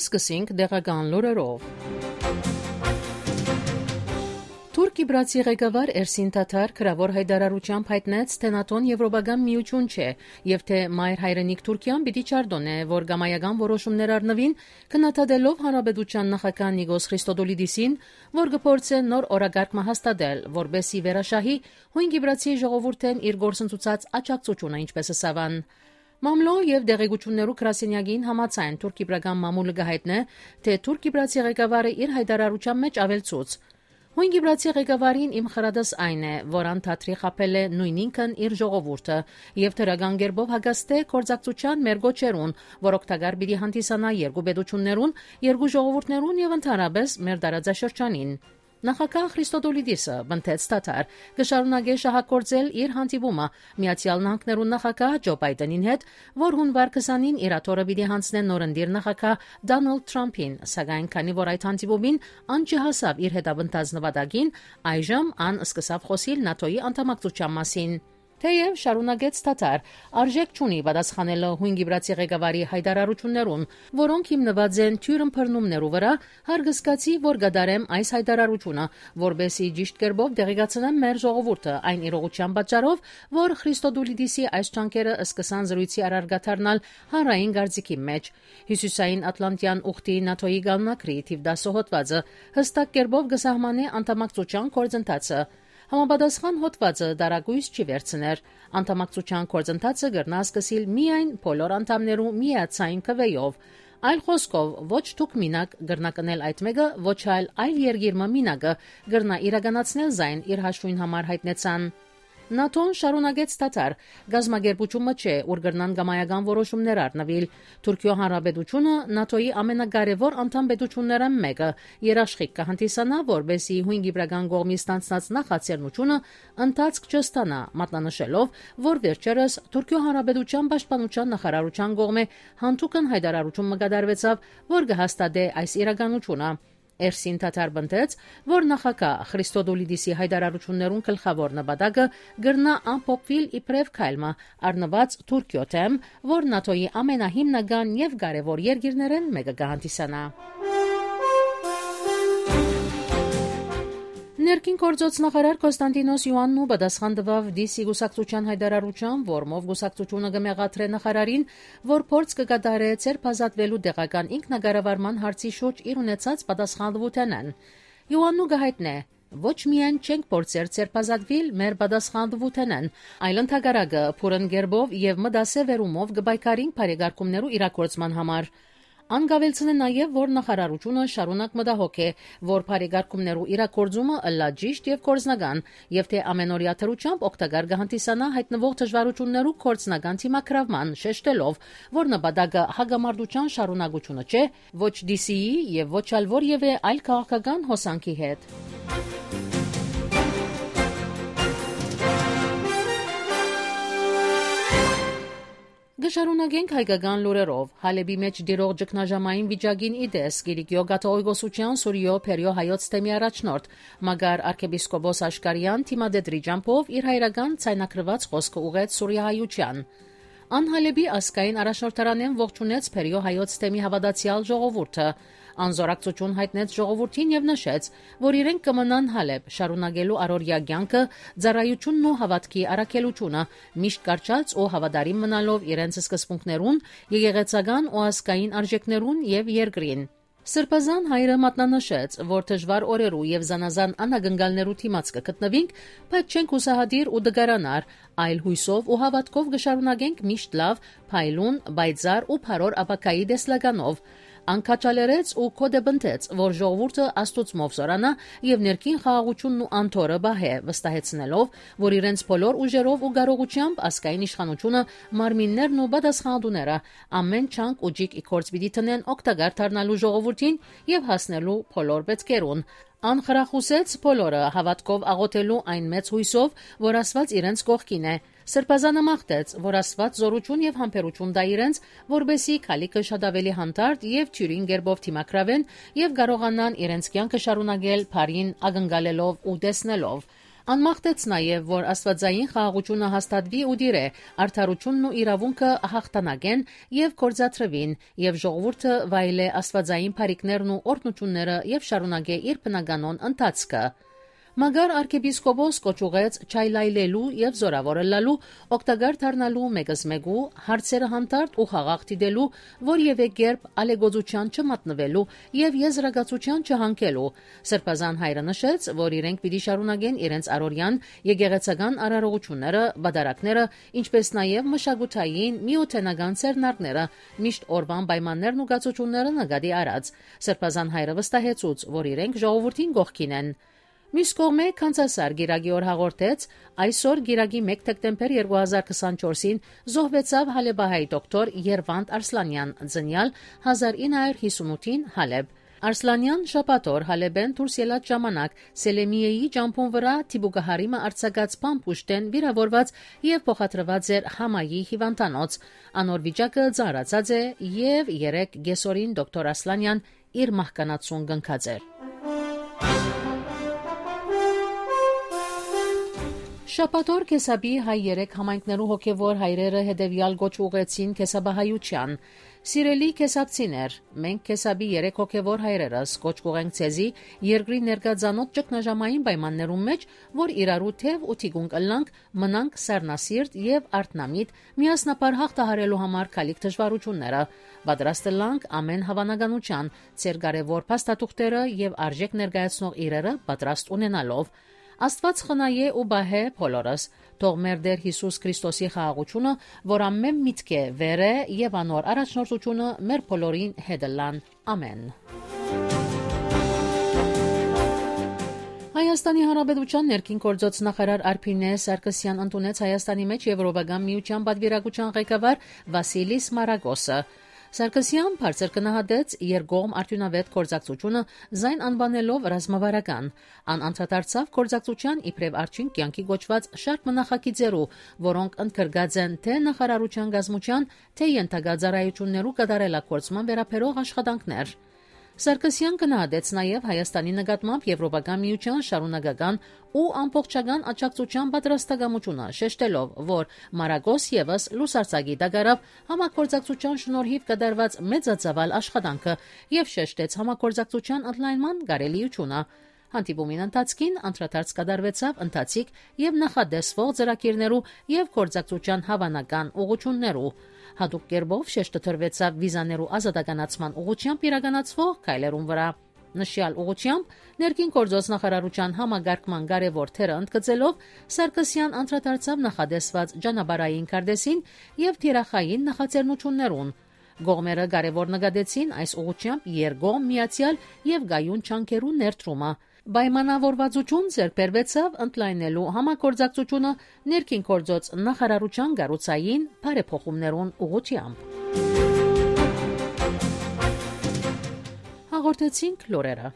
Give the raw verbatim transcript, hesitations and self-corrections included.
Սկսենք տեղական լուրերով։ Թուրք-Կիպրացի ղեկավար Էրսին Թաթար գրաւոր յայտարարութեամբ յայտնեց, թէ նատոն Եւրոպական միություն չէ եւ թէ մայր հայրենիք Թուրքիան պիտի չարտօնէ, որ կամայական որոշումներ առնուին, քննադատելով հանրապետության նախագահ Նիկոս Խրիստոդոլիդիսին, որ կը փորձէ նոր օրակարգ մը հաստատել, որպէս զի վերաշահի յոյն Կիպրացի ժողովուրդէն իր գործընծուցած աջակցութիւնը, ինչպէս ըսաւ ան։ Մամլոյ եւ տեղեկութիւններու գրասենեակին համաձայն, թուրք-կիպրական մամուլը կը յայտնէ, թէ թուրք-կիպրացի ղեկավարը իր յայտարարութեան մէջ աւելցուց. «Յոյն Կիպրացի ղեկավարին իմ խրատս այն է, որ ան թատրի խաբել է նոյնինքն իր ժողովուրդը եւ դրական կերպով հակաստ է գործակցութեան մեր կոչերուն, որ օգտակար պիտի հանդիսանայ երկու պետություններուն, երկու ժողովուրդներուն եւ ընդհանրապէս մեր տարածաշրջանին»։ Նախագահ Խրիստոդոլիդիսը, պնդեց Թաթար, կը շարունակէ շահագործել իր հանդիպումը Միացեալ Նահանգներու նախագահ Ջո Պայտենին հետ, որ յունուար քսանին իր աթոռը պիտի յանձնէ նորընտիր նախագահ Դոնալդ Թրամփին, սակայն քանի որ այդ հանդիպումին ան չհասաւ իր հետապնդած նպատակին, այժմ ան սկսաւ խօսիլ նատոյի անդամակցութեան մասին։ Թէեւ, շարունակեց Թաթար, արժէք չունի պատասխանելը յոյն Կիպրացի ղեկավարի յայտարարութիւններուն, որոնք հիմնուած են թիւր ըմբռնումներու վրայ, հարգ զգացի, որ կատարեմ այս յայտարարութիւնը, որպէս զի ճիշտ կերպով տեղեկացնեմ մեր ժողովուրդը այն իրողութեան պատճառով, որ Խրիստոդուլիդիսի այս ջանքերը սկսան զրոյցի առարկա դառնալ հանրային կարծիքի մէջ։ Հիւսիսային Ատլանտյան ուխտի նատոյի կալնակրի թիվ տասը հոդվածը յստակ կերպով կը սահմանէ անդամակցութեան գործընթացը։ Համապատասխան հոդվածը տարակոյս չի վերցներ։ Անդամակցութեան գործընթացը կրնայ սկսիլ միայն բոլոր անդամներու միացային քուէով։ Այլ խօսքով, ոչ դուք մինակ կրնաք ընել այդ մէկը, ոչ ալ այլ երկիր մը մինակը կրնայ իրականացնել զայն իր հաշուին համար, յայտնեցան։ Նատոն, շարունակեց Թաթար, կազմակերպութիւն մը չէ, ուր կրնան կամայական որոշումներ առնուիլ։ Թուրքիոյ Հանրապետութիւնը նատոյի ամենակարեւոր անդամ պետութիւններէն մէկը, երաշխիք կը հանդիսանայ, որպէս զի յոյն կիպրական կողմի ստանձնած նախաձեռնութիւնը ընթացք չստանայ, մատնանշելով, որ վերջերս Թուրքիոյ Հանրապետութեան պաշտպանութեան նախարարութեան կողմէ յանդուգն յայտարարութիւն մը կատարուեցաւ, որ կը հաստատէ այս իրականութիւնը։ Էրսին Թաթար պնդեց, որ նախագահ Խրիստոդուլիդիսի յայտարարութիւններուն գլխաւոր նպատակը կրնայ ամփոփուիլ իբրեւ քայլ մը, առնուած Թուրքիոյ դէմ, որ նատոյի ամենահիմնական եւ կարեւոր երկիրներէն մէկը կը հանդիսանայ։ Ներքին գործոց նախարար Կոստանտինոս Իոաննու պատասխան տուաւ Դիսի կուսակցութեան յայտարարութեան, որմով կուսակցութիւնը կը մեղադրէ նախարարին, որ փորձ կը կատարէ ձերբազատուելու տեղական ինքնակառավարման հարցի շուրջ իր ունեցած պատասխանատուութենէն։ Իոաննու կը յայտնէ. «Ոչ միայն չենք փորձեր ձերբազատուիլ մեր պատասխանատուութենէն, այլ ընդհակառակը, բուռն կերպով եւ մտասեւ վերումով կը պայքարինք բարեկարգումներու իրագործման համար»։ Ան կ'աւելցնէ նաեւ, որ նախարարութիւնը շարունակ մտահոգ է, որ բարեկարգումներու իրագործումը ըլլայ ճիշտ եւ գործնական, եւ թէ ամենօրեայ դրությամբ օգտակար կը հանդիսանայ յայտնուող դժվարութիւններու գործնական դիմագրաւման, շեշտելով, որ նպատակը հակամարտութեան շարունակութիւնը չէ, ոչ Դիսիի եւ ոչ ալ որեւէ այլ քաղաքական հոսանքի հետ։ Կը շարունակենք հայկական լուրերով։ Հալէպի մէջ տիրող ճգնաժամային վիճակին ի տես, Կիլիկիոյ կաթողիկոսութեան Սուրիոյ Բերիոյ հայոց թեմի առաջնորդ Մակար արքեպիսկոպոս Աշկարեան դիմատետրի ճամբով իր հայրական ձայնագրուած խօսքը ուղղեց սուրիահայութեան։ Ան Հալէպի ազգային առաջնորդարանէն ողջունեց Բերիոյ հայոց թեմի հաւատացեալ ժողովուրդը։ Ան զօրակցութիւն յայտնեց ժողովուրդին եւ նշեց, որ իրենք կը մնան Հալէպ, շարունակելու առօրեայ կեանքը, ծառայութիւնն ու հաւատքի առաքելութիւնը, միշտ կառչած ու հաւատարիմ մնալով իրենց սկզբունքներուն, եկեղեցական ու ազգային արժէքներուն եւ երկրին։ Սրբազան հայրը մատնանշեց, որ դժուար օրերու եւ զանազան անակնկալներու դիմաց կը գտնուինք, բայց չենք յուսահատիր ու տկարանար, այլ յոյսով ու հաւատքով կը շարունակենք միշտ լաւ, փայլուն, պայծառ ու բարոր ապագայի տեսլականով։ Ան քաջալերեց ու գօտեպնդեց, որ ժողովուրդը Աստուծմով զօրանայ եւ ներքին խաղաղութիւնն ու անդորրը պահէ, վստահեցնելով, որ իրենց բոլոր ուժերով ու կարողութեամբ ազգային իշխանութիւնը, մարմիններն ու պատասխանատուները ամէն ջանք ու ճիգ ի գործ պիտի դնեն օգտակար դառնալու ժողովուրդին եւ հասնելու բոլոր պետքերուն։ Ան խրախուսեց բոլորը հաւատքով աղօթելու այն մեծ յոյսով, որ Աստուած իրենց կողքին է։ Սրբազանը մաղթեց, որ Աստուած զօրութիւն եւ համբերութիւն տայ իրենց, որպէս զի գալիքը շատ աւելի հանդարտ եւ թիւրին կերպով դիմագրաւեն եւ կարողանան իրենց կեանքը շարունակել բարին ակնկալելով ու տեսնելով։ Ան մաղթեց նաեւ, որ աստուածային խաղաղութիւնը հաստատուի ու տիրէ, արդարութիւնն ու իրաւունքը յաղթանակեն եւ գործադրուին, եւ ժողովուրդը վայելէ աստուածային բարիքներն ու օրհնութիւնները եւ շարունակէ իր բնականոն ընթացքը։ Մակար արքեպիսկոպոս կոչ ուղղեց չայլայլելու եւ զօրաւոր ըլլալու, օգտակար դառնալու մեկզմեկու, հարցերը հանդարտ ու խաղաղ դիտելու, որեւէ կերպ ալեգոծութեան չմատնուելու եւ եզրակացութեան չհանգելու։ Սրբազան հայրը նշեց, որ իրենք պիտի շարունակեն իրենց առօրեան եկեղեցական արարողութիւնները, պատարագները, ինչպէս նաեւ մշակութային, միութենական ձեռնարկները, միշտ օրուան պայմաններն ու կացութիւնները նկատի առած։ Սրբազան հայրը վստահեցուց, որ իրենք ժողովուրդին կողքին են։ Մյուս կողմէ, Քանձասար կիրակի օր հաղորդեց, այսօր կիրակի մէկ դեկտեմբեր երկու հազար քսանչորսին զոհվեցաւ հալեբահայ դոկտոր Երվանդ Արսլանեան, ծնեալ հազար ինը հարիւր հիսունութին Հալեբ։ Արսլանեան շաբաթօր Հալեբէն դուրս ելած ժամանակ Սելեմիեի ճամբուն վրայ դիպուկահարի մը արձակած բանտ ուժտէն վիրաւորուած եւ փոխադրուած էր Համայի հիւանդանոց։ Անոր վիճակը ծանրացած է եւ երեկ կեսօրին դոկտոր Արսլանեան իր մահկանացուն կնքած էր։ Շաբաթօր Քեսապի հայ երեք համայնքներու հոգեվոր հայրերը հետեւեալ կոչ ուղղեցին քեսապահայութեան։ Սիրելի քեսապցիներ, մենք քեսապի երեք հոգեվոր հայրերս կոչ կուղենք ձեզի երկրի ներկայ ծանօթ ճգնաժամային պայմաններուն մէջ, որ իրարու թեւ ու թիկունք ըլլանք, մնանք սառնասիրտ եւ արթնամիտ, միասնաբար հաղթահարելու համար գալիք դժվարութիւնները։ Պատրաստ ըլլանք ամէն հաւանականութեան, ձեր կարեւոր փաստաթուղթերը եւ արժէք ներկայացնող իրերը պատրաստ ունենալով։ Աստուած խնայէ ու պահէ բոլորս։ Թող մեր Տէր Յիսուս Քրիստոսի խաղաղութիւնը, որ ամէն միտք է, վեր է եւ անոր առաջնորդութիւնը մեր բոլորին հետ ըլլան։ Ամէն։ Հայաստանի Հանրապետութեան ներքին գործոց նախարար Արփինէ Սարգսեան ընդունեց Հայաստանի մէջ Եվրոպական միութեան պատվիրակութեան ղեկավար Վասիլիս Մարագոսը։ Սարգսեան բարձր գնահատեց երկկողմ արդիւնաւէտ գործակցութիւնը, զայն անուանելով ռազմավարական։ Ան անդրադարձաւ գործակցութեան իբրեւ արդիւնք կեանքի կոչուած շարք մը նախագիծերու, որոնք ընդգրկած են թէ նախարարութեան կազմութեան, թէ ենթակայ ծառայութիւններու կատարելագործման վերաբերող աշխատանքներ։ Սարգսեան գնահատեց նաեւ Հայաստանի նկատմամբ Եվրոպական միութեան շարունակական ու ամբողջական աջակցութեան պատրաստակամութիւնը, շեշտելով, որ Մարագոս եւս լուսարձակի տակ առաւ համագործակցութեան շնորհիւ կատարուած մեծածաւալ աշխատանքը եւ շեշտեց համագործակցութեան ընդլայնման կարելիութիւնը։ Հանդիպումին ընթացքին անդրադարձ կատարուեցաւ ընթացիկ եւ նախատեսվող ծրագիրներու եւ գործակցութեան հաւանական ուղղութիւններու։ Յատուկ կերպով շեշտը դրուեցաւ վիզաներու ազատականացման ուղղութեամբ իրականացվող քայլերուն վրայ։ Նշեալ ուղղութեամբ ներքին գործոց նախարարութեան համակարգման կարեւոր դերը ընդգծելով, Սարգսեան անդրադարձաւ նախատեսուած ճանապարհային քարտէսին եւ թիրախային նախաձեռնութիւններուն։ Կողմերը կարեւոր նկատեցին այս ուղղութեամբ երկկողմ միացեալ եւ կայուն ջանքերու ներդրումը։ Պայմանավորվածութիւն ձեռք բերուեցաւ ընդլայնելու համագործակցութիւնը ներքին գործոց նախարարութեան կառուցային բարեփոխումներուն ուղղութեամբ։ Հաղորդեցինք լուրերը։